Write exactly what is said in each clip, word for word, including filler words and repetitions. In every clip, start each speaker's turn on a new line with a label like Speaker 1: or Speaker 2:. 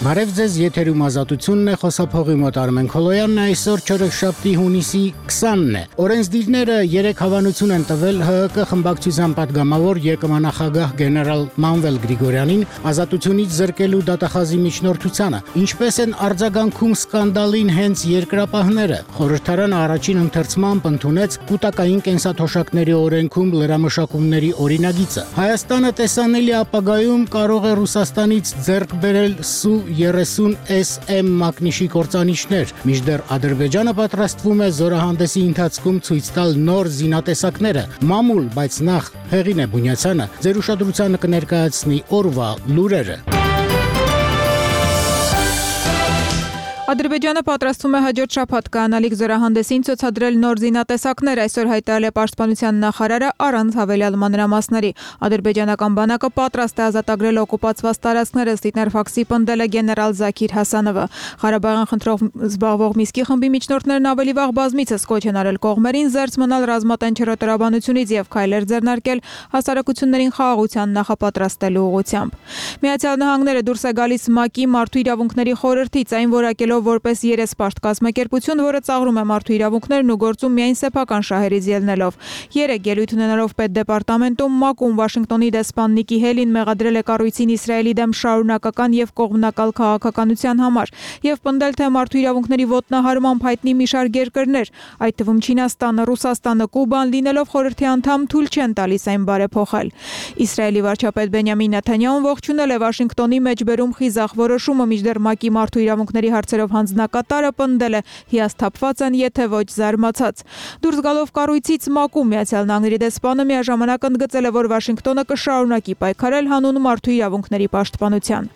Speaker 1: Բարև ձեզ, եթերում ազատությունն է, խոսափողի մոտ Արմեն Քոլոյանն է, այսօր չորեքշաբթի հունիսի քսանն է։ Օրենսդիրները երեք հավանություն են տվել ՀՀԿ խմբակցության պատգամավոր ԵԿՄ-նախագահ գեներալ Մանվել Գրիգորյանին ազատությունից զրկելու դատախազի միջնորդությանը։ Ինչպես են արձագանքում սկանդալին հենց երկրապահները։ Խորհրդարանը առաջին ընթերցմամբ ընդունեց կൂട്ടակային կենսաթոշակների օրենքում լրամշակումների օրինագիծը։ Հայաստանը տեսանելի ապագայում կարող է Ռուսաստանից ձեռք բերել Սու երեսուն էս էմ մակնիշի կործանիչներ, մինչդեռ Ադրբեջանը պատրաստվում է զորահանդեսի ընթացքում ցույց տալ նոր զինատեսակները։ Մամուլ, բայց նախ Հեղինե Բունյացյանը ձեր ուշադրությանը կներկայացնի օրվա լուրերը։
Speaker 2: Ադրբեջանը պատրաստվում է հաջորդ շաբաթ կայանալիք զորահանդեսին ցուցադրել նոր զինատեսակներ, այսօր հայտարարել է Պաշտպանության նախարարը առանց հավելյալ մանրամասների։ Ադրբեջանական բանակը պատրաստ է ազատագրել օկուպացված տարածքները, ստիպներ ֆաքսի պնդել է գեներալ Զաքիր Հասանովը։ Ղարաբաղյան խնդրով զբաղվող Միսկի խմբի միջնորդներն ավելի վաղ բազմիցս կոչ են արել կողմերին զերծ մնալ ռազմատենչերոտարաբանությունից եւ քայլեր ձեռնարկել հասարակություններին խաղաղության նախապատրաստելու ուղղությամբ։ Միացյալ Նահանգները դուրս է գալիս ՄԱԿ-ի մարդու իրավունքների խորհրդից, այն որակելով որպես երեսպաշտ կազմակերպություն, որը ծաղրում է մարդու իրավունքներն ու գործում միայն սեփական շահերից ելնելով։ Երեք ելույթ ունենալով պետդեպարտամենտում ՄԱԿ-ում Վաշինգտոնի դեսպան Նիկի Հելին մեղադրել է կառույցին Իսրայելի դեմ շարունակական եւ կողմնակալ քաղաքականության համար եւ պնդել, թե մարդու իրավունքների ոտնահարմամբ հայտնի մի շարք երկրներ, այդ թվում Չինաստանը, Ռուսաստանը, Կուբան, լինելով խորհրդի անդամ, թույլ չեն տալիս այն բարեփոխել։ Իսրայելի վարչապետ Բենյամին Նեթանյահուն ողջունել է Վաշինգտոնի մեջբերում խիզախ որոշումը, մինչդեռ ՄԱԿ-ի մարդու իրավունքների հարցերով հանձնակատարը պնդել է հիասթափված են, եթե ոչ զարմացած։ Դուրս գալով կառույցից ՄԱԿ-ում Միացյալ Նահանգների դեսպանը միաժամանակ ընդգծել է, որ Վաշինգտոնը կշարունակի պայքարել հանուն մարդու իրավունքների պաշտպանության։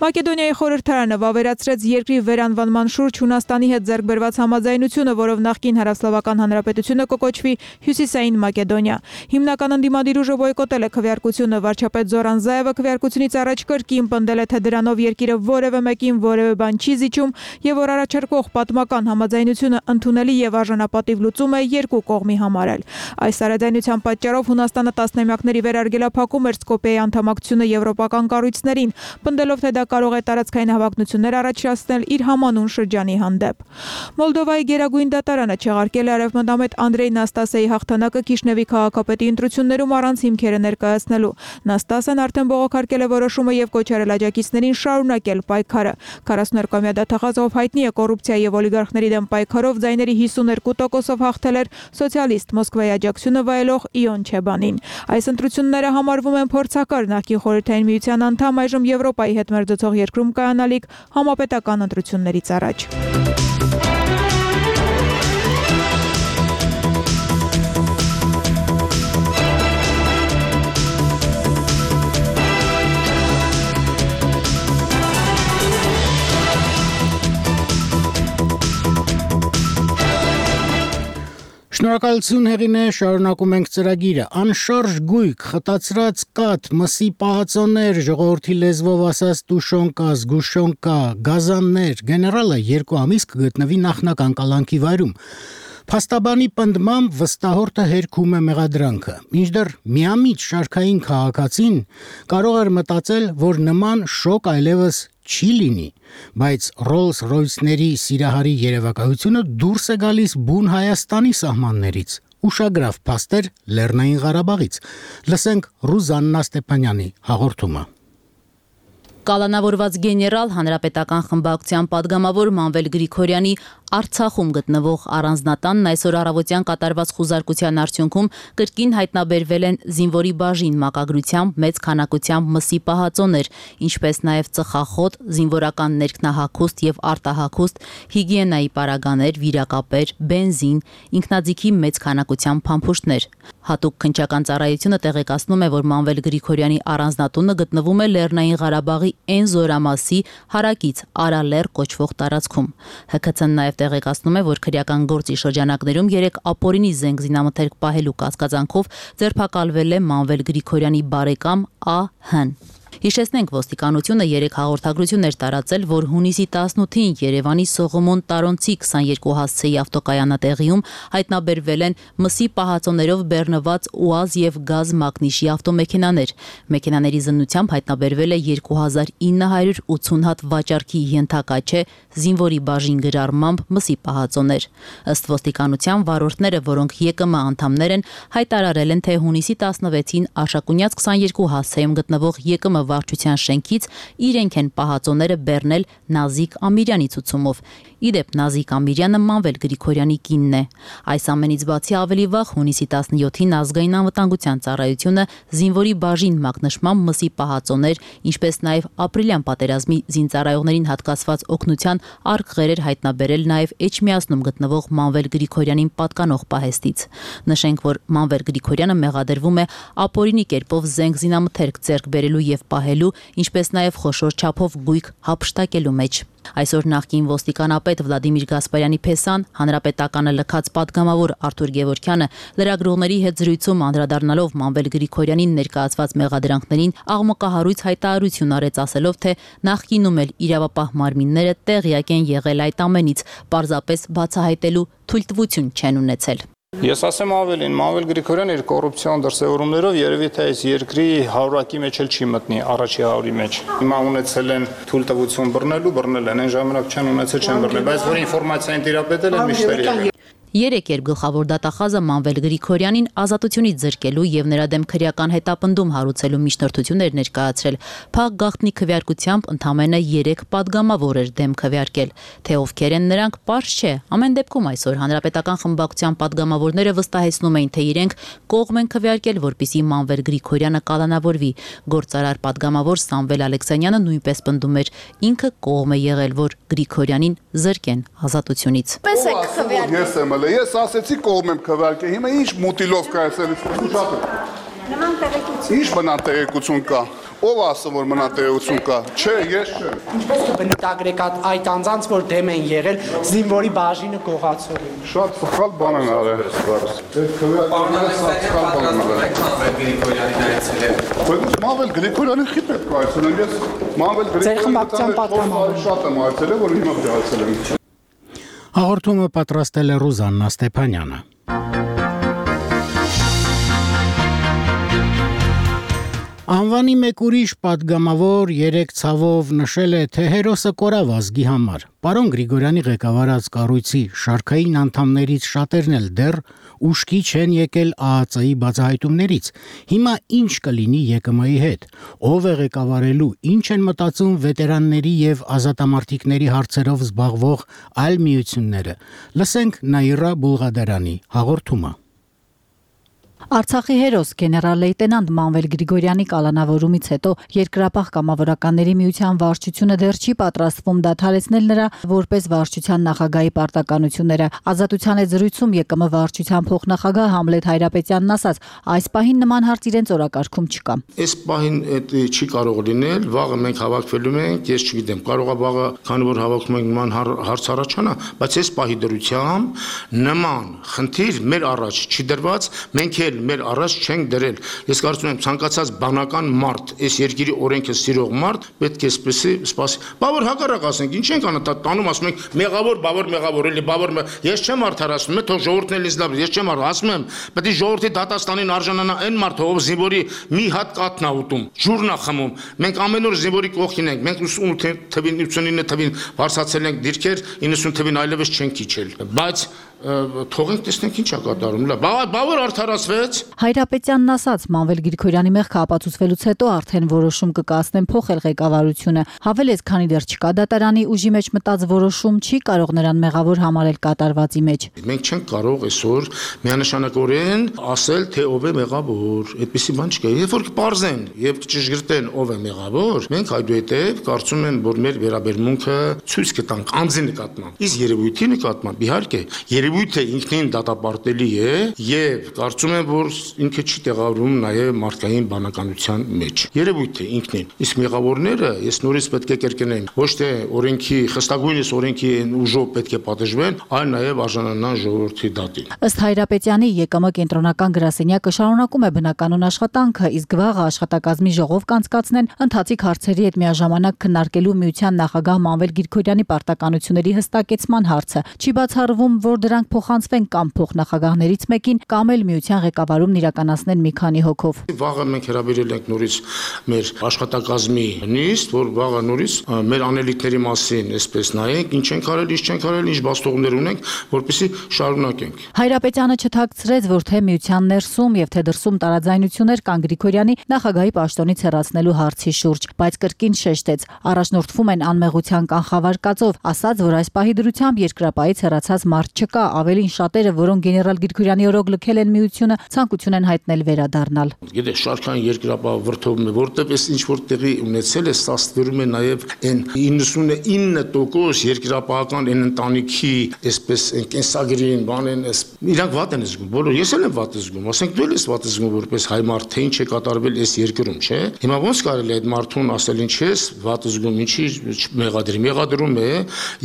Speaker 2: Մակեդոնիայի խորհրդարանը վավերացրեց երկրի վերանվանման շուրջ Հունաստանի հետ ձեռք բերված համաձայնությունը, որով նախկին Հարավսլավական Հանրապետությունը կկոչվի Հյուսիսային Մակեդոնիա։ Հիմնական ընդդիմադիր ուժը բոյկոտել է քվեարկությունը, վարչապետ Զորան Զայևը քվեարկությունից առաջ կրկին պնդել է, թե դրանով երկիրը որևէ մեկին որևէ բան չի զիջում եւ որ առաջարկող պատմական համաձայնությունը ընդունելի եւ արժանապատիվ լուծում է երկու կողմի համար էլ։ Այս արաձայնության պատճառով Հունաստանը տասնամյակների վերարգելափակում էր Սկոպիեի անդամակցությունը եվրոպական կառույցներին, պնդելով, թե դա կարող է տարածքային հավակնություններ առաջացնել իր համանուն շրջանի հանդեպ։ Մոլդովայի գերագույն դատարանը չեղարկել է արևմտամետ Անդրեյ Նաստասեի հաղթանակը Կիշնևի քաղաքապետի ընտրություններում առանց հիմքերը ներկայացնելու։ Նաստասեն արդեն բողոքարկել է որոշումը եւ կոչ արել աջակիցներին շարունակել պայքարը։ քառասունուերկամյա դատախազով հայտնի է կոռուպցիա եւ օլիգարխների դեմ պայքարով ձայների հիսուներկու տոկոսով հաղթել էր սոցիալիստ Մոսկվայի աջակցությունը վայելող Իոն Չեբանին։ Այս ընտրությունները համարվում են փորձակար նախկին խորհրդային միության անդամ, այժմ Եվրոպայի հետ մերձեցող երկրում կայանալիք համապետական ընտրություններից առաջ։
Speaker 1: Շնորհակալություն Հեղինե, շարունակում ենք ծրագիրը։ Անշարժ գույք, խտացրած կաթ, մսի պահածոներ, ժողովրդի լեզվով ասած տուշոնկա, զգուշոնկա, գազաններ, գեներալը երկու ամիս կգտնվի նախնական կալանքի վայրում։ Փաստաբանի պնդմամբ վստահորդը հերքում է մեղադրանքը։ Մինչդեռ միամիտ շարքային քաղաքացին կարող էր մտածել, որ նման շոկ այլևս չի լինի, բայց Rolls-Royce-ների սիրահարի երևակայությունը դուրս է գալիս բուն Հայաստանի սահմաններից։ Ուշագրավ փաստեր Լեռնային Ղարաբաղից։ Լսենք Ռուզաննա Ստեփանյանի հաղորդումը։
Speaker 3: Կալանավորված գեներալ հանրապետական խմբակցության падգամավոր Մանվել Գրիգորյանի Արցախում գտնվող առանձնատանն այսօր առավոտյան կատարված խուզարկության արդյունքում կրկին հայտնաբերվել են զինվորի բաժին մակագրությամբ մեծ քանակությամբ մսի պահածոներ, ինչպես նաև ծխախոտ, զինվորական ներքնահագուստ եւ արտահագուստ, հիգիենայի պարագաներ, վիրակապեր, բենզին, ինքնաձիգի մեծ քանակությամբ փամփուշտներ։ Հատուկ քննչական ծառայությունը տեղեկացնում է, որ Մանվել Գրիգորյանի առանձնատունը գտնվում է Լեռնային Ղարաբաղի Էն զորամասի հարակից Արալեռ կոչվող տարածքում։ ՀՔՑ-ն նաև տեղեկացնում է, որ քրեական գործի շրջանակներում երեք ապօրինի զենք զինամթերք պահելու կասկածանքով ձերբակալվել է Մանվել Գրիգորյանի բարեկամ Ա Հ-ն։ Հիշեցնենք, ոստիկանությունը երեք հաղորդագրություն էր տարածել, որ հունիսի տասնութին Երևանի Սողոմոն Տարոնցի քսաներկու հասցեի ավտոկայանատեղիում հայտնաբերվել են մսի պահածոներով բեռնված ՈՒԱԶ եւ գազ մագնիշի ավտոմեքենաներ։ Մեքենաների զննությամբ հայտնաբերվել է երկու հազար ինը հարյուր ութուն հատ վաճառքի ենթակաչե զինվորի բաժին գրառմամբ մսի պահածոներ։ Ըստ ոստիկանության վարորդները, որոնք ԵԿՄ անդամներ են, հայտարարել են, թե հունիսի տասնվեցին Արշակունյաց քսաներկու հասցեում գտնվող ԵԿՄ վարչության շենքից իրենք են պահածոները բեռնել Նազիկ Ամիրյանի ցուցումով։ Իդեպ Նազիկ Ամիրյանը Մանվել Գրիգորյանի կինն է։ Այս ամենից բացի ավելի վաղ հունիսի տասնյոթին ազգային անվտանգության ծառայությունը զինվորի բաժին մակնշմամբ մսի պահածոներ, ինչպես նաև ապրիլյան պատերազմի զինծառայողներին հատկացված օգնության արկղեր էր հայտնաբերել նաև Էջմիածնում գտնվող Մանվել Գրիգորյանին պատկանող պահեստից։ Նշենք, որ Մանվել Գրիգորյանը մեղադրվում է ապօրինի կերպով զենք զինամթերք ձեռք բերելու եւ պահելու, ինչպես նաև խոշոր չափով գույք հափշտակելու մեջ։ Այսօր նախկին ոստիկանապետ Վլադիմիր Գասպարյանի փեսան, հանրապետականը լքած պատգամավոր Արթուր Գևորգյանը լրագրողների հետ զրույցում անդրադառնալով Մանվել Գրիգորյանին ներկայացված մեղադրանքներին աղմկահարույց հայտարարություն արեց, ասելով, թե նախկինում էլ իրավապահ մարմինները տեղյակ են եղել այդ ամենից, պարզապես բացահայտելու թույլտվություն չեն ունեցել։
Speaker 4: Ես ասեմ ավելին, Մանվել Գրիգորյանը իր կոռուպցիոն դրսևորումներով երևի թե այս երկրի հարյուրակի մեջ էլ չի մտնի, առաջի հարյուրի մեջ։ Հիմա ունեցել են թույլտվություն բռնելու, բռնել են, այն ժամանակ չեն ունեցել, չեն բռնել, բայց որ ինֆորմացիան տիրապետել են միշտ եղել։
Speaker 3: Երեք երբ գլխավոր դատախազը Մանվել Գրիգորյանին ազատությունից զրկելու եւ նրա դեմ քրեական հետապնդում հարուցելու միջնորդություններ ներկայացրել, փակ գաղտնի քվեարկությամբ ընդամենը երեք պատգամավոր էր դեմ քվեարկել։ Թե ովքեր են նրանք, պարզ չէ։ Ամեն դեպքում այսօր հանրապետական խմբակցության պատգամավորները վստահեցնում էին, թե իրենք կողմ են քվեարկել, որպիսի Մանվել Գրիգորյանը կալանավորվի։ Գործարար պատգամավոր Սամվել Ալեքսանյանը նույնպես պնդում էր, ինքը կողմ է եղել, որ Գրիգորյանին զրկեն ազատությունից։
Speaker 5: Ես ասեցի կողմ եմ քվեարկել, հիմա ինչ մուտիլով կա այսել,
Speaker 6: նման տեղեկություն։
Speaker 5: Ինչ մնան տեղեկություն կա, ով ասում որ մնան տեղեկություն կա, չէ, ես չէ։
Speaker 6: Ինչպես կբնութագրեք այդ անձանց, որ դեմ են եղել զինվորի բաժինը գողացողին։
Speaker 5: Շատ սխալ բան են արել։ Այդ քվեարկները սխալ բան են արել։ Մանվել Գրիգորյանին խի պետք է այցելեմ, ես Մանվել Գրիգորյանը շատ եմ այցելել, որ հիմա այցելեմ։
Speaker 1: Հաղորդումը պատրաստել է Ռուզաննա Ստեփանյանը։ Անվանի մեկ ուրիշ պատգամավոր երեք ցավով նշել է, թե հերոսը կորավ ազգի համար։ Պարոն Գրիգորյանի ղեկավարած կառույցի շարքային անդամներից շատերն էլ դեռ ուշքի չեն եկել ԱԱԾ-ի բացահայտումներից։ Հիմա ինչ կլինի ԵԿՄ-ի հետ։ Ով է ղեկավարելու, ինչ են մտածում վետերանների եւ ազատամարտիկների հարցերով զբաղվող այլ միությունները։ Լսենք Նաիրա Բուլղադարյանի հաղորդումը։
Speaker 7: Արցախի հերոս գեներալ լեյտենանտ Մանվել Գրիգորյանի կալանավորումից հետո Երկրապահ կամավորականների միության վարչությունը դեռ չի պատրաստվում դադարեցնել նրա որպես վարչության նախագահի պարտականությունները։ Ազատության հետ զրույցում ԵԿՄ վարչության փոխնախագահ Համլետ Հայրապետյանն ասաց, այս պահին նման հարց իրենց օրակարգում չկա։
Speaker 8: Այս պահին չի կարող լինել, վաղը մենք հավաքվելու ենք, ես չգիտեմ, կարող է վաղը, քանի որ հավաքում ենք նման հարց առաջանա, բայց այս պահի դրությամբ նման խնդիր մեր առաջ չի դրված, մենք մեր առաջ չենք դրել։ Ես կարծում եմ ցանկացած բանական մարդ, այս երկրի օրենքը սիրող մարդ պետք է սպասի, սպասի։ Բավոր հակառակ ասենք, ինչ ենք անում, տանում ասում ենք մեղավոր, բավոր մեղավոր, էլի բավոր։ Ես չեմ արդարացնում, թող ժողովուրդն էլի լավ, ես չեմ ասում եմ, պետք է ժողովրդի դատաստանին արժանանա այն մարդը, ով զինվորի մի հատ կաթն է ուտում, ջուրն է խմում։ Մենք ամեն օր զինվորի կողքին ենք, մենք ութսուն թվին, ութսունինը թվին վարձացել ենք դիրքեր, իննսուն թվին այլևս չենք իջել։ Բայց թողենք տեսնենք ինչ է կատարում։ Բավոր արդարացվեց։
Speaker 7: Հայրապետյանն ասաց, Մանվել Գրիգորյանի մեղքը ապացուցվելուց հետո արդեն որոշում կկայացնեն փոխել ղեկավարությունը։ Հավելեց, քանի դեռ չկա դատարանի ուժի մեջ մտած որոշում, չի կարող նրան մեղավոր համարել կատարվածի մեջ։
Speaker 8: Մենք չենք կարող այսօր միանշանակորեն ասել, թե ով է մեղավոր։ Այդպիսի բան չկա։ Երբ որ կպարզեն եւ կճշգրտեն ով է մեղավոր, մենք այդուհետեւ կարծում եմ, որ մեր վերաբերմունքը ցույց կտանք անձի նկատմամբ։ Իսկ երևույթի նկատմամբ իհարկե երևույթը ինքնին դատապարտելի է եւ կարծում եմ, որ ինքը չի տեղավորվում նաեւ մարդկային բանականության մեջ։ Երևույթը ինքնին։ Իսկ մեղավորները, ես նորից պետք է կրկնեմ, ոչ թե օրենքի, խստագույնս օրենքի ուժով պետք է պատժվեն, այլ նաեւ արժանանան ժողովրդի դատին։
Speaker 7: Ըստ Հայրապետյանի ԵԿՄ կենտրոնական գրասենյակը շարունակում է բնականոն աշխատանքը, իսկ վաղը աշխատակազմի ժողով կանցկացնեն ընթացիկ հարցերի հետ միաժամանակ քննարկելու միության նախագահ Մանվել Գրիգորյանի պարտականությունների հստակեցման հարցը։ Չի բացառվում, որ դրանք փոխանցվեն կամ փոխնախագահներից մեկին, կամ էլ միության ղեկավարումն իրականացնեն մի քանի հոգով։
Speaker 8: Վաղը մենք հրավիրել ենք նորից մեր աշխատակազմի նիստ, որ վաղը նորից մեր անելիքների մասին այսպես նայենք, ինչ ենք արել, ինչ չենք արել, ինչ բաստողներ ունենք, որպեսզի շարունակենք։
Speaker 7: Հայրապետյանը չթաքցրեց, որ թե միության ներսում եւ թե դրսում տարաձայնություններ կան Գրիգորյանի նախագահի պաշտոնից հեռացնելու հարցի շուրջ, բայց կրկին շեշտեց, առաջնորդվում են անմեղության կանխավարկածով, ասաց, որ այս պահի դրությամբ երկրապահից հեռացած մարդ չկա, ավելին շատերը, որոնք գեներալ Գրիգորյանի օրոք լքել են միությունը, ցանկություն են հայտնել վերադառնալ։
Speaker 8: Գիտեք, շարքային երկրապահ վրդովում է, որտեղ էս ինչ որ տեղի ունեցել է, ստացվում է նաեւ այն իննսունինը տոկոս երկրապահական այն ընտանիքի, այսպես կենսագրին, բանեն, իրանք վատ են զգում, բոլոր ես էլ եմ վատ զգում, ասենք դու էլ ես վատ զգում որպես հայ մարդ, թե ինչ է կատարվել այս երկրում, չէ՞։ Հիմա ոնց կարելի է այդ մարդուն ասել ինչ ես վատ զգում, ինչի մեղադրի, մեղադրում է,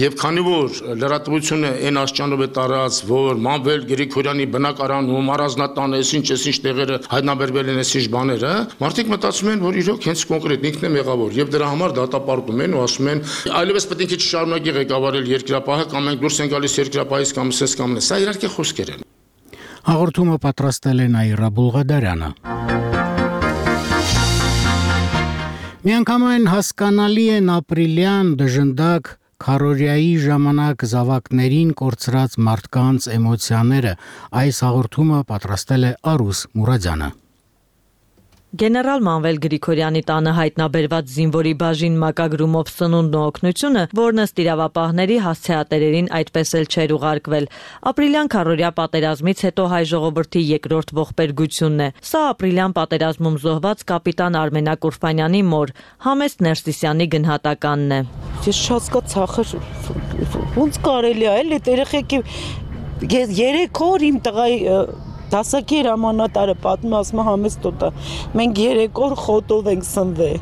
Speaker 8: եւ քանի որ լրատվությունը այն աստիճանով է տարած, որ Մանվել Գրիգորյանի բնակարանում առանձնատան էս ինչ էս ինչ տեղերը հայտնաբերվել են էս ինչ բաները, մարդիկ մտածում են, որ իրոք հենց կոնկրետ ինքն է մեղավոր եւ դրա համար դատապարտում են ու ասում են այլևս պետք է չշարունակի ղեկավարել երկրապահը կամ մենք դուրս են գալիս երկրապահից կամ սես կամ նես, սա իհարկե խոսքեր են։
Speaker 1: Հաղորդումը պատրաստել է Նաիրա Բուլղադարյանը։ Միանգամայն հասկանալի են ապրիլյան դժնդակ քարորիայի ժամանակ զավակներին կորցրած մարդկանց էմոցիաները։ Այս հաղորդումը պատրաստել է Արուս Մուրադյանը։
Speaker 9: Գեներալ Մանվել Գրիգորյանի տանը հայտնաբերված զինվորի բաժին մակագրումով սնունդն ու օգնությունը, որն ըստ իրավապահների հասցեատերերին այդպես էլ չէր ուղարկվել։ Ապրիլյան քարորիա պատերազմից հետո հայ ժողովրդի երկրորդ ողբերգությունն է։ Սա ապրիլյան պատերազմում զոհված կապիտան Արմենակ Ուրֆանյանի մոր, Համեստ Ներսիսյանի գնահատականն է։
Speaker 10: Ես շատ կացախր ոնց կարելի է էլի երեխեքի երեք օր իմ տղայի դասակի հրամանատարը պատմում ասում Համեստ տոտա մենք երեք օր խոտով ենք սնվել։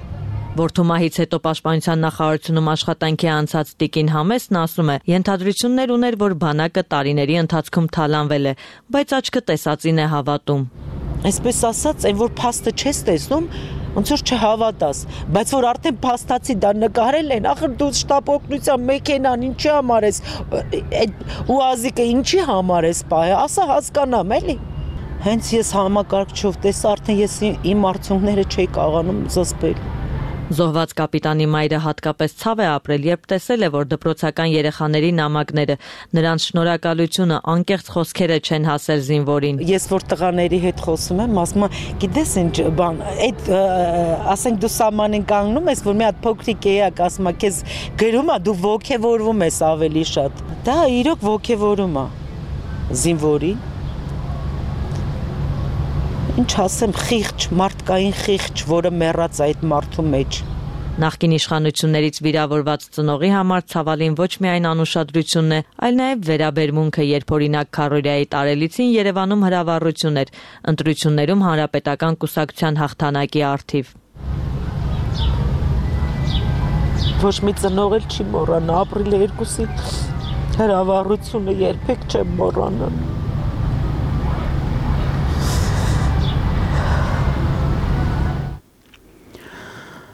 Speaker 9: Որդումահից հետո պաշտպանության նախարարությունում աշխատանքի անցած Տիկին Համեսն ասում է, ենթադրություններ ուներ, որ բանակը տարիների ընթացքում թալանվել է, բայց աչքը տեսածին է հավատում։
Speaker 10: Այսպես ասած, այն որ փաստը չես տեսնում, ոնց որ չհավատաս, բայց որ արդեն փաստացի դա նկարել են, ախր դու շտապ օգնության մեքենան ինչի համար ես, այդ ուազիկը ինչի համար ես պահե, ասա հասկանամ էլի։ Հենց ես համակարգչով տեսա, արդեն ես իմ արդյունքները չէի կարողանում զսպել։
Speaker 9: Զոհված կապիտանի մայրը հատկապես ցավ է ապրել, երբ տեսել է, որ դպրոցական երեխաների նամակները, նրանց շնորհակալությունը, անկեղծ խոսքերը չեն հասել զինվորին։
Speaker 10: Ես որ տղաների հետ խոսում եմ, ասում եմ, գիտես ինչ բան, այդ ասենք դու սահման են կանգնում ես, որ մի հատ փոքրիկ էակ ասում է, քեզ գրում է, դու ոգևորվում ես ավելի շատ։ Դա իրոք ոգևորում է զինվորի։ Ինչ ասեմ, խիղճ, մարդկային խիղճ, որը մեռած այդ մարդու մեջ։
Speaker 9: Նախկին իշխանություններից վիրավորված ծնողի համար ցավալին ոչ միայն անուշադրությունն է, այլ նաև վերաբերմունքը, երբ օրինակ քարորիայի տարելիցին Երևանում հրավառություն էր, ընտրություններում հանրապետական կուսակցության հաղթանակի առթիվ։
Speaker 10: Ոչ մի ծնող էլ չի մոռանա, ապրիլի երկուսի հրավառությունը երբեք չեմ մոռանա։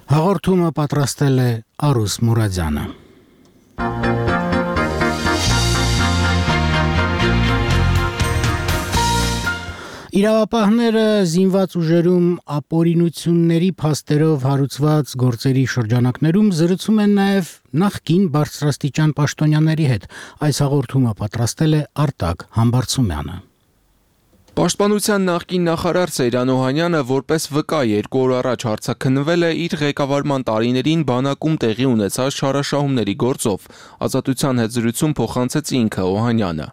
Speaker 1: Հաղորդումը պատրաստել է Արուս Մուրադյանը։ Իրավապահները զինված ուժերում ապօրինությունների փաստերով հարուցված գործերի շրջանակներում զրուցում են նաև նախկին բարձրաստիճան պաշտոնյաների հետ։ Այս հաղորդումը պատրաստել է Արտակ Համբարձումյանը։
Speaker 11: Պաշտպանության նախկին նախարար Սեյրան Օհանյանը որպես վկա երկու օր առաջ հարցաքննվել է իր ղեկավարման տարիներին բանակում տեղի ունեցած չարաշահումների գործով։ Ազատության հետ զրույցում փոխանցեց ինքը Օհանյանը։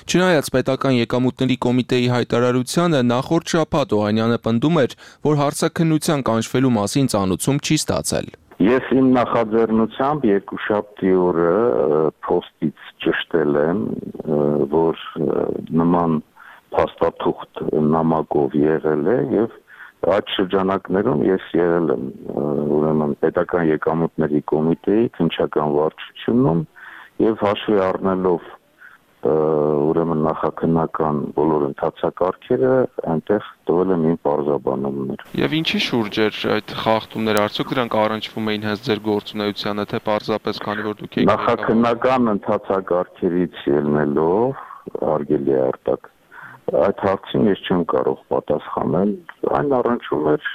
Speaker 11: Չնայած պետական եկամուտների կոմիտեի հայտարարությանը նախորդ շաբաթ Օհանյանը պնդում էր, որ հարցաքննության կանչվելու մասին ծանուցում չի ստացել։
Speaker 12: Ես իմ նախաձեռնությամբ երկուշաբթի օրը փոստից ճշտել եմ, որ նման փաստաթուղթ նամակով եղել է եւ այդ շրջանակներում ես եղել եմ ուրեմն պետական եկամուտների կոմիտեի քննչական վարչությունում եւ հաշվի առնելով ուրեմն նախաքննական բոլոր ընթացակարգերը այնտեղ տվել եմ իմ պարզաբանումներ։
Speaker 11: Եվ ինչի շուրջ էր այդ խախտումները, արդյոք դրանք առնչվում էին հենց ձեր գործունեությանը, թե պարզապես քանի որ դուք եք
Speaker 12: նախաքննական ընթացակարգերից ելնելով արգելի է արտակ այդ հարցին ես չեմ կարող պատասխանել, այն առնչվում էր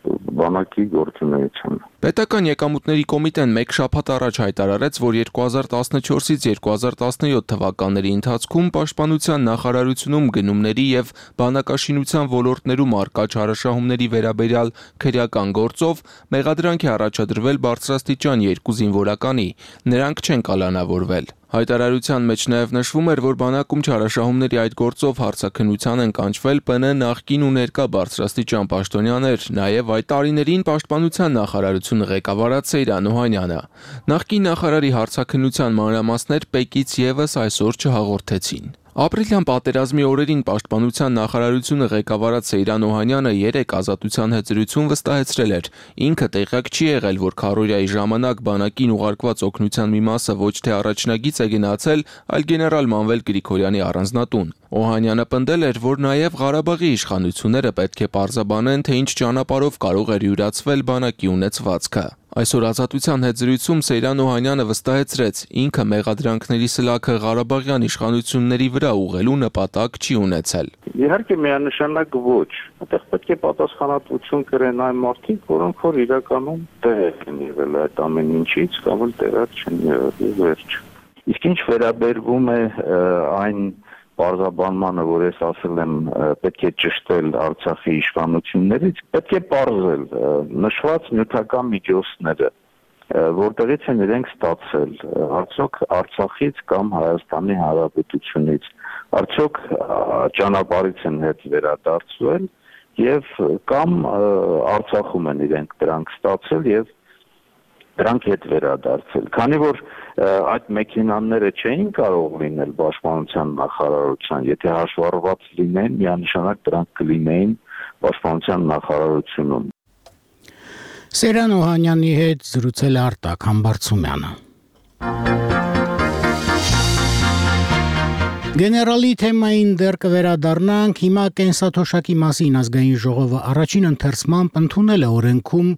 Speaker 12: բանակի գործունեությունը։
Speaker 11: Պետական եկամուտների կոմիտեն մեկ շաբաթ առաջ հայտարարեց, որ երկու հազար տասնչորսից երկու հազար տասնյոթ թվականների ընթացքում Պաշտպանության նախարարությունում գնումների եւ բանակաշինության ոլորտներում արկա չարաշահումների վերաբերյալ քրեական գործով մեղադրանք է առաջադրվել բարձրաստիճան երկու զինվորականի, նրանք չեն կալանավորվել։ Հայտարարության մեջ նաև նշվում էր, որ բանակում չարաշահումների այդ գործով հարցաքննության են կանչվել Պ Ն նախկին ու ներկա բարձրաստիճան պաշտոնյաներ, նաև այդ տարիներին Պաշտպանության նախարարությունը ղեկավարած Սեյրան Օհանյանը։ Նախկին նախարարի հարցաքննության մանրամասներ ՊԵԿ-ից եւս այսօր չհաղորդեցին։ Ապրիլյան պատերազմի օրերին Պաշտպանության նախարարությունը ղեկավարած Սեյրան Օհանյանը երեք ազատության հետ զրույցում վստահեցրել էր, ինքը տեղյակ չի եղել, որ քարոզիայի ժամանակ բանակին ուղարկված օգնության մի մասը ոչ թե առաջնագիծ է գնացել, այլ գեներալ Մանվել Գրիգորյանի առանձնատուն։ Օհանյանը պնդել էր, որ նաև Ղարաբաղի իշխանությունները պետք է պարզաբանեն, թե ինչ ճանապարհով կարող էր յուրացվել բանակի ունեցվածքը։ Այսօր ազատության հետ զրույցում Սեյրան Օհանյանը վստահեցրեց, ինքը մեղադրանքների սլաքը Ղարաբաղյան իշխանությունների վրա ուղղելու նպատակ չի ունեցել։
Speaker 12: Իհարկե միանշանակ ոչ, այդտեղ պետք է պատասխանատվություն կրեն այն մարդիկ, որոնք որ իրականում տեղյակ են եղել այդ ամեն ինչից, կամ էլ տեղյակ չեն եղել, վերջ։ Իսկ ինչ վերաբերվում է այն պարզաբանմանը, որ ես ասել եմ, պետք է ճշտել Արցախի իշխանություններից, պետք է պարզել նշված նյութական միջոցները, որտեղից են իրենք ստացել, արդյոք Արցախից կամ Հայաստանի Հանրապետությունից, արդյոք ճանապարհից են հետ վերադարձվել եւ կամ Արցախում են իրենք դրանք ստացել եւ դրանք հետ վերադարձել։ Քանի որ այդ մեքենաները չէին կարող լինել Պաշտպանության նախարարության, եթե հաշվառված լինեն, միանշանակ դրանք կլինեին Պաշտպանության նախարարությունում։
Speaker 1: Սեյրան Օհանյանի հետ զրուցել Արտակ Համբարձումյանը։ Գեներալի թեմային դեռ կվերադառնանք, հիմա կենսաթոշակի մասին ազգային ժողովը առաջին ընթերցմամբ ընդունել է օրենքում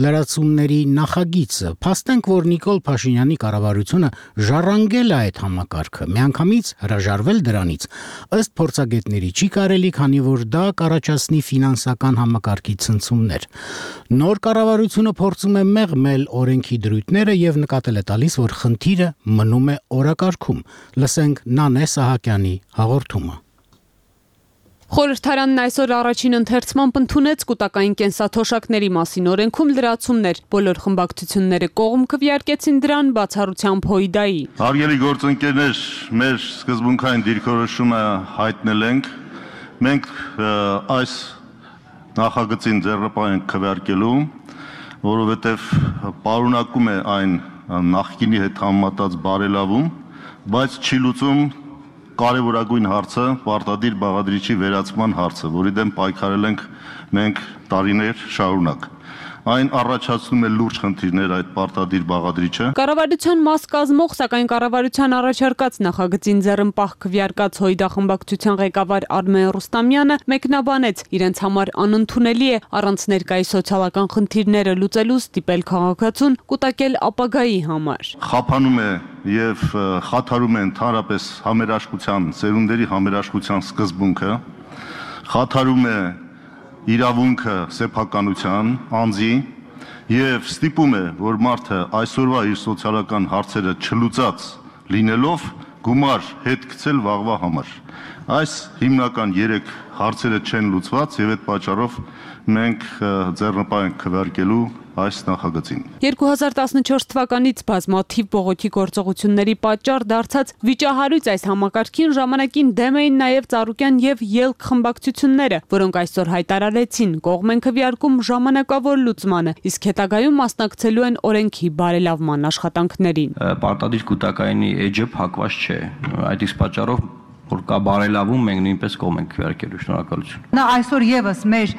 Speaker 1: լրացումների նախագիծը, փաստենք, որ Նիկոլ Փաշինյանի կառավարությունը ժառանգել է այդ համակարգը, միանգամից հրաժարվել դրանից, ըստ փորձագետների չի կարելի, քանի որ դա կառաջացնի ֆինանսական համակարգի ցնցումներ։ Նոր կառավարությունը փորձում է մեղմել օրենքի դրույթները եւ նկատել է տալիս, որ խնդիրը մնում է օրակարգում։ Լսենք Նանե Սահակյանի հաղորդումը։
Speaker 13: Խորհրդարանն այսօր առաջին ընթերցմամբ ընդունեց կൂട്ടակային կենսաթոշակների մասին օրենքում լրացումներ։ Բոլոր խմբակցությունները կողմ քվեարկեցին դրան բացառությամբ Հույդայի։
Speaker 14: Հարգելի գործընկերներ, մեր սկզբունքային դիրքորոշումը հայտնել ենք։ Մենք այս նախագծին ձեռնպահ ենք քվեարկելու, որովհետև պարունակում է այն նախկինի հետ համեմատած բարելավում, բայց չի լուծում կարևորագույն հարցը պարտադիր բաղադրիչի վերացման հարցը, որի դեմ պայքարել ենք մենք տարիներ շարունակ։ Այն առաջացնում է լուրջ խնդիրներ այդ պարտադիր բաղադրիչը։
Speaker 13: Կառավարության մաս կազմող, սակայն կառավարության առաջարկած նախագծին ձեռնպահ քվեարկած Հույդա խմբակցության ղեկավար Արմեն Ռուստամյանը մեկնաբանեց, իրենց համար անընդունելի է առանց ներկայի սոցիալական խնդիրները լուծելու ստիպել քաղաքացուն կուտակել ապագայի համար։
Speaker 14: Խափանում է եւ խաթարում է ընդհանրապես համերաշխության, սերունդերի համերաշխության սկզբունքը, խաթարում է իրավունքը սեփականության, անձի եւ ստիպում է, որ մարդը այսօրվա իր սոցիալական հարցերը չլուծած լինելով գումար հետ գցել վաղվա համար։ Այս հիմնական երեք հարցերը չեն լուծված եւ այդ պատճառով մենք ձեռնպահ ենք քվեարկելու այս նախագծին։
Speaker 13: երկու հազար տասնչորս թվականից բազմաթիվ բողոքի գործողությունների պատճառ դարձած վիճահարույց այս համակարգին ժամանակին դեմ էին նաև Ծառուկյան եւ Ելք խմբակցությունները, որոնք այսօր հայտարարեցին կողմ են քվեարկում ժամանակավոր լուծմանը, իսկ հետագայում մասնակցելու են օրենքի բարելավման աշխատանքներին։
Speaker 15: Պարտադիր կൂട്ടակայինի էջը փակված չէ։ Այդ իսկ պատճառով որ կա բարելավում, մենք նույնպես կողմ ենք քվեարկելու, շնորհակալություն։
Speaker 16: Նա այսօր եւս մեր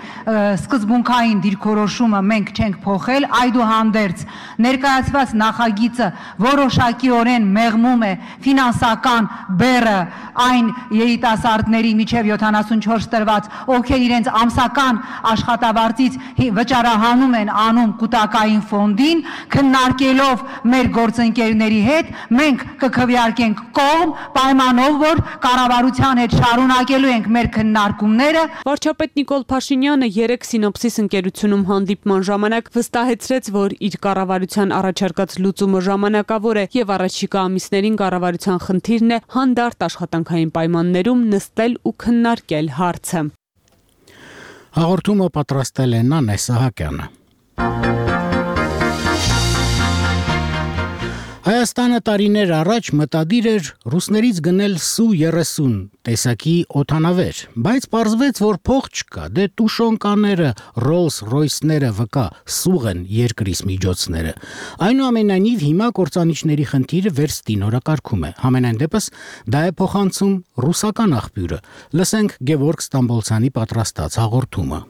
Speaker 16: սկզբունքային դիրքորոշումը մենք չենք փոխել, այդուհանդերձ ներկայացված նախագիծը որոշակիորեն մեղմում է ֆինանսական բեռը այն երիտասարդների միջև յոթանասունչորս տրված, ովքեր իրենց ամսական աշխատավարձից վճարահանում են անում կൂട്ടակային ֆոնդին, քննարկելով մեր գործընկերների հետ, մենք կքվեարկենք կողմ պայմանով, որ կառավարության հետ շարունակելու ենք մեր քննարկումները։
Speaker 13: Վարչապետ Նիկոլ Փաշինյանը երեք Սինոպսիս ընկերությունում հանդիպման ժամանակ վստահեցրեց, որ իր կառավարության առաջարկած լուծումը ժամանակավոր է եւ առաջիկա ամիսներին կառավարության խնդիրն է հանդարտ աշխատանքային պայմաններում նստել ու քննարկել հարցը։
Speaker 1: Հաղորդումը պատրաստել է Նանե Սահակյանը։ Հայաստանը տարիներ առաջ մտադիր էր ռուսներից գնել Սու երեսուն տեսակի օդանավեր, բայց պարզվեց, որ փող չկա, դե տուշոնկաները, Rolls-Royce-ները վկա սուղ են երկրից միջոցները։ Այնուամենայնիվ հիմա կործանիչների խնդիրը վերստինորակարգում է։ Համենայն դեպս դա է փոխանցում ռուսական աղբյուրը։ Լսենք Գևորգ Ստամբոլցյանի պատրաստած հաղորդումը։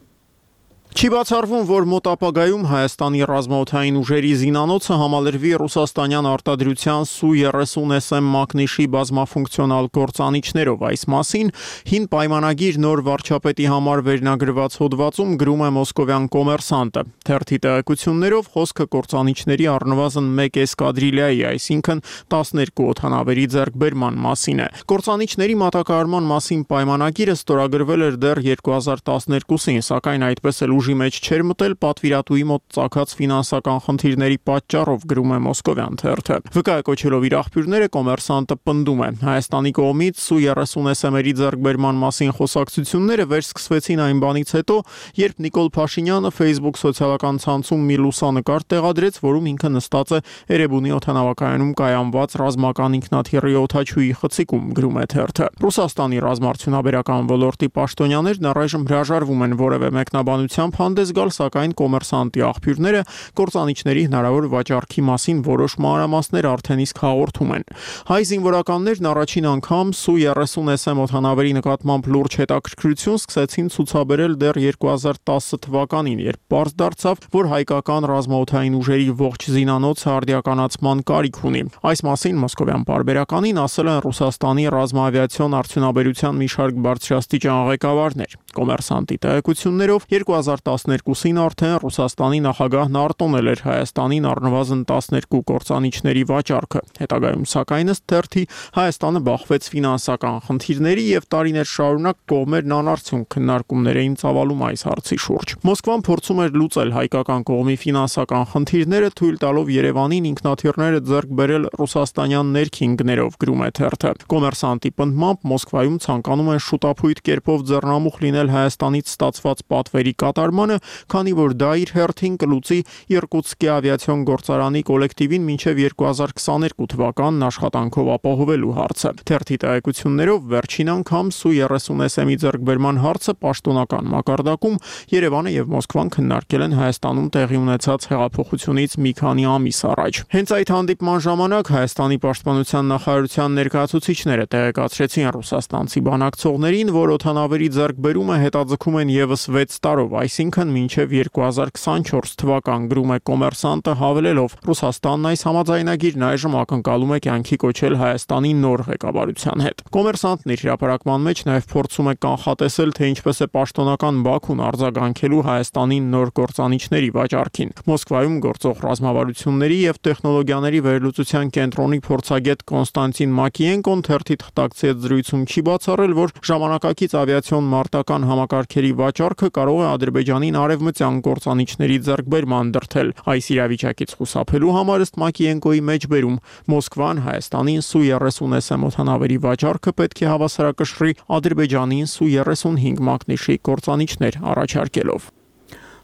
Speaker 17: Չի բացառվում, որ մոտ ապագայում Հայաստանի ռազմաօդային ուժերի զինանոցը համալրվի ռուսաստանյան արտադրության Սու երեսուն Էս Էմ մակնիշի բազմաֆունկցիոնալ գործանիչներով։ Այս մասին հին պայմանագիր նոր վարչապետի համար վերնագրված հոդվածում գրում է մոսկովյան Կոմերսանտը։ Թերթի տեղեկություններով խոսքը գործանիչների առնվազն մեկ էսկադրիլիայի, այսինքն տասներկու օդանավերի ձեռքբերման մասին է։ Գործանիչների մատակարարման մասին պայմանագիրը ստորագրվել էր դեռ երկու հազար տասներկուսին, սակայն այդպես էլ ուժի մեջ չէր մտել պատվիրատուի մոտ ծագած ֆինանսական խնդիրների պատճառով, գրում է մոսկովյան թերթը։ Վկայակոչելով իր աղբյուրները, Կոմերսանտը պնդում է. Հայաստանի կողմից Սու երեսուն Էս Էմ-երի ձեռքբերման մասին խոսակցությունները վերսկսվեցին այն բանից հետո, երբ Նիկոլ Փաշինյանը Facebook սոցիալական ցանցում մի լուսանկար տեղադրեց, որում ինքը նստած է Էրեբունի օդանավակայանում կայանված ռազմական ինքնաթիռի օդաչուի խցիկում, գրում է թերթը։ Ռուսաստանի ռազմաարդյունաբերական ոլորտի պաշտոնյաներն առայժմ հրաժարվում են որևէ մեկնաբանությամբ հանդես գալ, սակայն Կոմերսանտի աղբյուրները կործանիչների հնարավոր վաճառքի մասին որոշ մանրամասներ արդեն իսկ հաղորդում են։ Հայ զինվորականներն առաջին անգամ Սու երեսուն Էս Էմ օդանավերի նկատմամբ լուրջ հետաքրքրություն սկսեցին ցուցաբերել դեռ երկու հազար տասը թվականին, երբ պարզ դարձավ, որ հայկական ռազմաօդային ուժերի ողջ զինանոցը արդիականացման կարիք ունի։ Այս մասին մոսկովյան պարբերականին ասել են Ռուսաստանի ռազմաավիացիոն արդյունաբերության մի շարք բարձրաստիճան ղեկավարներ։ Կոմերսանտի տեղեկություններով երկու հազար տասներկուսին արդեն Ռուսաստանի նախագահն արտոնել էր Հայաստանին առնվազն տասներկու կործանիչների վաճառքը։ Հետագայում սակայն ըստ թերթի Հայաստանը բախվեց ֆինանսական խնդիրների եւ տարիներ շարունակ կողմերն անարդյունք քննարկումներ էին ծավալում այս հարցի շուրջ։ Մոսկվան փորձում էր լուծել հայկական կողմի ֆինանսական խնդիրները, թույլ տալով Երևանին ինքնաթիռները ձեռք բերել ռուսաստանյան ներքին գներով, գրում է թերթը։ Կոմերսանտի պնդմամբ Մոսկվայում ցանկանում են շուտափույթ կերպով ձեռնամուխ լինել Հայաստանից ստացված պատվերի կատարմանը, քանի որ դա իր հերթին կլուծի Իրկուտսկի ավիացիոն գործարանի կոլեկտիվին մինչև երկու հազար քսաներկու թվականն աշխատանքով ապահովելու հարցը։ Թերթի տեղեկություններով վերջին անգամ Սու երեսուն Էս Էմ-ի ձեռքբերման հարցը պաշտոնական մակարդակում Երևանը եւ Մոսկվան քննարկել են Հայաստանում տեղի ունեցած հեղափոխությունից մի քանի ամիս առաջ։ Հենց այդ հանդիպման ժամանակ Հայաստանի պաշտպանության նախարարության ներկայացուցիչները տեղեկացրեցին ռուսաստանցի բանակցողներին, որ օդանավերի ձեռքբերումը հետաձգում են եւս վեց տարով, այսինքն մինչև երկու հազար քսանչորս թվական, գրում է Կոմերսանտը, հավելելով. Ռուսաստանն այս համաձայնագիրն այժմ ակնկալում է կյանքի կոչել Հայաստանի նոր ղեկավարության հետ։ Կոմերսանտն իր հրապարակման մեջ նաև փորձում է կանխատեսել, թե ինչպես է պաշտոնական Բաքուն արձագանքելու Հայաստանի նոր գործանիչների վաճառքին։ Մոսկվայում գործող ռազմավարությունների եւ տեխնոլոգիաների վերլուծության կենտրոնի փորձագետ Կոնստանտին Մակիենկոն թերթի թղթակցի զրույցում չի բացառել, որ ժամանակակից ավիացիոն մարտական համակարգերի վաճառքը կարող է Ադրբեջանի Ադրբեջանին արևմտյան կործանիչների ձեռքբերման դրդել։ Այս իրավիճակից խուսափելու համար ըստ Մակիենկոյի մեջբերում Մոսկվան Հայաստանին Սու երեսուն էս էմ օդանավերի վաճառքը պետք է հավասարակշռի Ադրբեջանին Սու երեսունհինգ մակնիշի կործանիչներ առաջարկելով։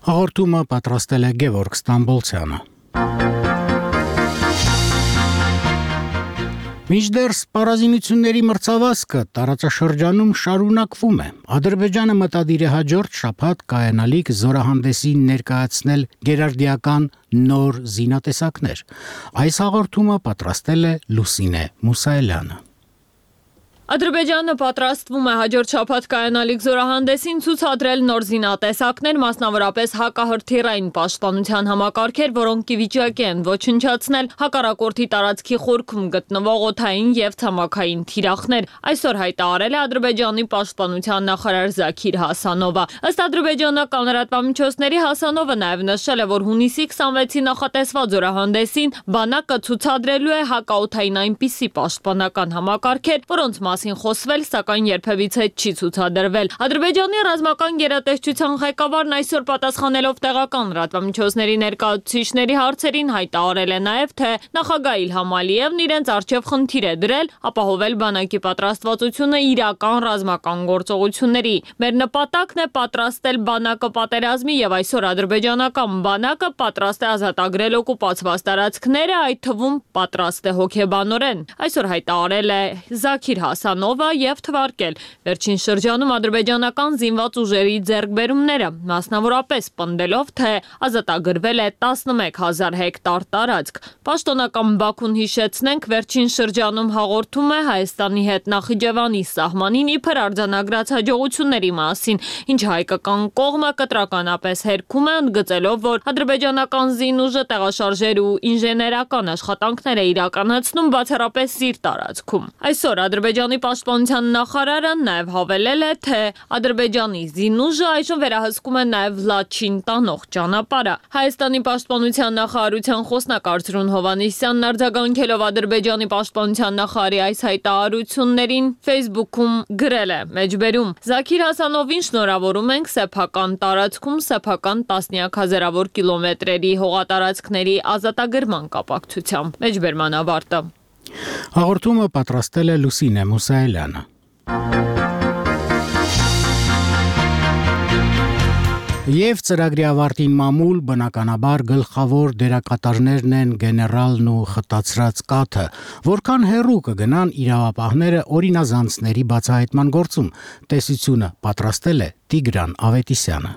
Speaker 1: Հաղորդումը պատրաստել է Գևորգ Ստամբոլցյանը։ Մինչդեռ սպառազինությունների մրցավազքը տարածաշրջանում շարունակվում է։ Ադրբեջանը մտադիր է հաջորդ շաբաթ կայանալիք զորահանդեսին ներկայացնել գերարդիական նոր զինատեսակներ։ Այս հաղորդումը պատրաստել է Լուսինե Մուսայելյանը։
Speaker 18: Ադրբեջանը պատրաստվում է հաջորդ շաբաթ կայանալիք զորահանդեսին ցուցադրել նոր զինատեսակներ, մասնավորապես հակահրթիռային պաշտպանության համակարգեր, որոնք ի վիճակի են ոչնչացնել հակառակորդի տարածքի խորքում գտնվող օդային եւ ցամաքային թիրախներ։ Այսօր հայտարարել է Ադրբեջանի պաշտպանության նախարար Զաքիր Հասանովը։ Ըստ ադրբեջանական լրատվամիջոցների Հասանովը նաեւ նշել է, որ հունիսի քսանվեցի նախատեսված զորահանդեսին բանակը ցուցադրելու է հակաօդային այնպիսի պաշտպանական համակարգեր, որոնց խոսվել, սակայն երբևիցե չի ցուցադրվել։ Ադրբեջանի ռազմական գերատեսչության ղեկավարն այսօր պատասխանելով տեղական լրատվամիջոցների ներկայացուցիչների հարցերին հայտարարել է նաև, թե նախագահ Իլհամ Ալիևն իրենց առջև խնդիր է դրել ապահովել բանակի պատրաստվածությունը իրական ռազմական գործողությունների։ Մեր նպատակն է պատրաստել բանակը պատերազմի եւ այսօր ադրբեջանական բանակը պատրաստ է ազատագրել օկուպացված տարածքները, այդ թվում պատրաստ է հոգեբանորեն։ Այսօր հայտարարել է Զաքիր Հասանովը եւ թվարկել վերջին շրջանում ադրբեջանական զինված ուժերի ձեռքբերումները, մասնավորապես պնդելով, թե ազատագրվել է տասնմեկ հազար հեկտար տարածք։ Պաշտոնական Բաքուն, հիշեցնենք, վերջին շրջանում հաղորդում է Հայաստանի հետ Նախիջևանի սահմանին իբր արձանագրած հաջողությունների մասին, ինչ հայկական կողմը կտրականապես հերքում է, ընդգծելով, որ ադրբեջանական զինուժը տեղաշարժեր ու ինժեներական աշխատանքներ է իրականացնում բացառապես իր տարածքում։ Այսօր Ադրբեջանի պաշտպանության նախարարը նաև հավելել է, թե Ադրբեջանի զինուժը այժմ վերահսկում է նաև Լաչին տանող ճանապարհը։ Հայաստանի պաշտպանության նախարարության խոսնակ Արծրուն Հովհաննիսյանն արձագանքելով Ադրբեջանի պաշտպանության նախարարի այս հայտարարություններին Facebook-ում գրել է. մեջբերում Զաքիր Հասանովին շնորհավորում ենք սեփական տարածքում սեփական տասնյակ հազարավոր կիլոմետրերի հողատարածքների ազատագրման կապակցությամբ։ Մեջբերման ավարտը։
Speaker 1: Հաղորդումը պատրաստել է Լուսինե Մուսայելյանը։ Եվ ծրագրի ավարտին մամուլ բնականաբար գլխավոր դերակատարներն են գեներալն ու խտացրած կաթը, որքան հեռու կգնան իրավապահները օրինազանցների բացահայտման գործում։ Տեսությունը պատրաստել է Տիգրան Ավետիսյանը։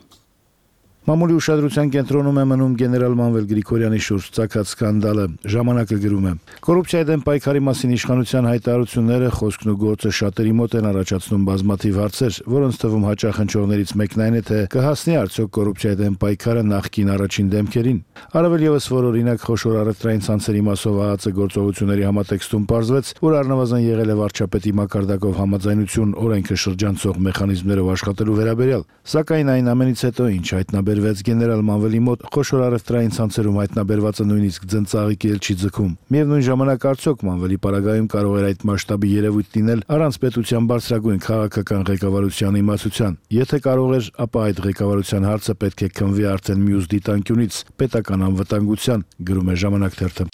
Speaker 19: Մամուլի ուշադրության կենտրոնում է մնում գեներալ Մանվել Գրիգորյանի շուրջ ծագած սկանդալը։ Ժամանակը գրում է. Կոռուպցիայի դեմ պայքարի մասին իշխանության հայտարարությունները, խոսքն ու գործը շատերի մոտ են առաջացնում բազմաթիվ հարցեր, որոնց թվում հաճախ հնչողներից մեկն այն է, թե կհասնի արդյոք կոռուպցիայի դեմ պայքարը նախկին առաջին դեմքերին։ Առավել ևս, որ օրինակ խոշոր առևտրային ցանցերի մասով ԱԱԾ գործողությունների համատեքստում պարզվեց, որ առնվազն եղել է վարչապետի մակարդակով համաձայնություն օրենքը շրջանցող մեխանիզմներով աշխատելու վերաբերյալ։ Սակայն այն ամենից հետո, ինչ հայտնաբերվեց գեներալ Մանվելի մոտ, խոշոր առևտրային ցանցերում հայտնաբերվածը նույնիսկ ձնծաղիկի էլ չի ձգում։ Միևնույն ժամանակ արդյոք Մանվելի պարագայում կարող էր այդ մասշտաբի երևույթ լինել առանց պետության բարձրագույն քաղաքական ղեկավարության իմացության։ Եթե կարող էր, ապա այդ ղեկավարության հարցը պետք է քննվի արդեն մյուս դիտանկյունից՝ պետական անվտանգության, գրում է Ժամանակ թերթը։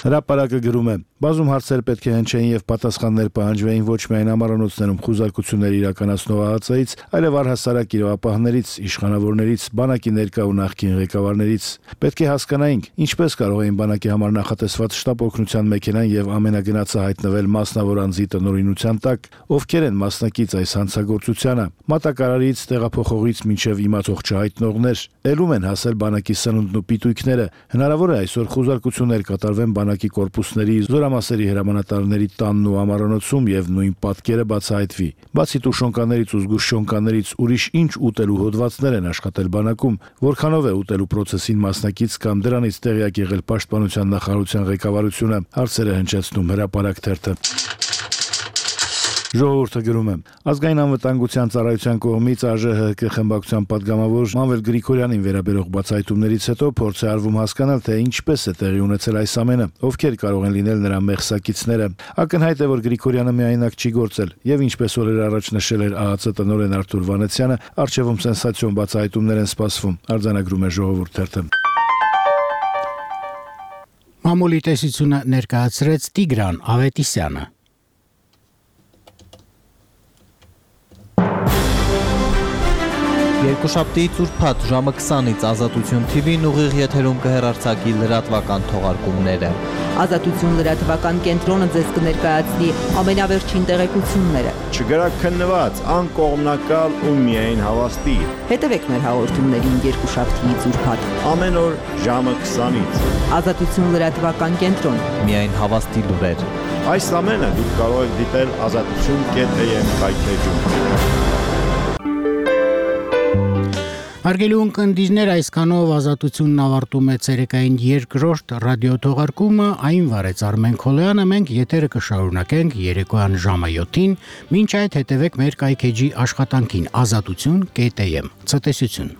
Speaker 19: Հրապարակը գրում է. բազում հարցեր պետք է հնչեին եւ պատասխաններ պահանջվեին ոչ միայն ամառանոցներում խուզարկություններ իրականացնող ԱԱԾ-ից, այլև առհասարակ իրավապահներից, իշխանավորներից, բանակի ներկա ու նախկին ղեկավարներից։ Պետք է հասկանայինք, ինչպես կարող էին բանակի համար նախատեսված շտապ օգնության մեքենան եւ ամենագնացը հայտնվել մասնավոր անձի տնօրինության տակ, ովքեր են մասնակից այս հանցագործությանը, մատակարարից, տեղափոխողից մինչեւ իմացող չհայտնողներ, ելում են հասել բանակի սնունդն ու պիտույքները։ Հնարավոր է այսօր խուզարկություններ կատարվեն բանակի կորպուսների զորամասերի հրամանատարների տանն ու ամառանոցում եւ նույն պատկերը բացահայտվի։ Բացի տուշոնկաներից ու զգուշ շոնկաներից ուրիշ ինչ ուտելու հոդվածներ են աշխատել բանակում, որքանով է ուտելու process-ին մասնակից կամ դրանից տեղյակ եղել պաշտպանության նախարարության ղեկավարությունը, հարցերը հնչեցնում Հրապարակ թերթը։ Ժողովուրդը գրում է. Ազգային անվտանգության ծառայության կողմից ԱԺՀԿ խմբակցության падգամավոր Մանվել Գրիգորյանին վերաբերող բացահայտումներից հետո փորձ է արվում հասկանալ, թե ինչպես է տեղի ունեցել այս ամենը, ովքեր կարող են լինել նրա մեղսակիցները։ Ակնհայտ է, որ Գրիգորյանը միայնակ չի գործել, եւ ինչպես օրեր առաջ նշել էր ԱԱՑ տնօրեն Արթուր Վանեցյանը, արժևում սենսացիոն բացահայտումներ են սպասվում, արձանագրում է Ժողովուրդ թերթը։
Speaker 1: Մամուլի տեսությունը ներկայացրեց Տիգրան Ավետիսյանը։
Speaker 20: Երկուշաբթի ծուրփաթ ժամը քսանից Ազատություն Թի Վին ուղիղ եթերում կհեռարձակի լրատվական թողարկումները։
Speaker 21: Ազատություն լրատվական կենտրոնը ձեզ կներկայացնի ամենավերջին տեղեկությունները։
Speaker 22: Չգրաքննված, անկողմնակալ ու միայն հավաստի։
Speaker 21: Հետևեք մեր հաղորդումներին երկուշաբթի ծուրփաթ
Speaker 22: ամեն օր ժամը քսանից։
Speaker 21: Ազատություն լրատվական կենտրոն։
Speaker 20: Միայն հավաստի լուրեր։
Speaker 22: Այս ամենը դուք կարող եք դիտել ազատություն կետ է եմ կայքեջում։
Speaker 1: Հարգելի ունկնդիրներ, այսքանով Ազատությունն ավարտում է ցերեկային երկրորդ ռադիոթողարկումը, այն վարեց Արմեն Քոլոյանը, մենք եթերը կշարունակենք երեկոյան ժամը յոթին, մինչ այդ հետևեք մեր կայքեջի աշխատանքին ազատություն կետ է եմ։ Ցտեսություն։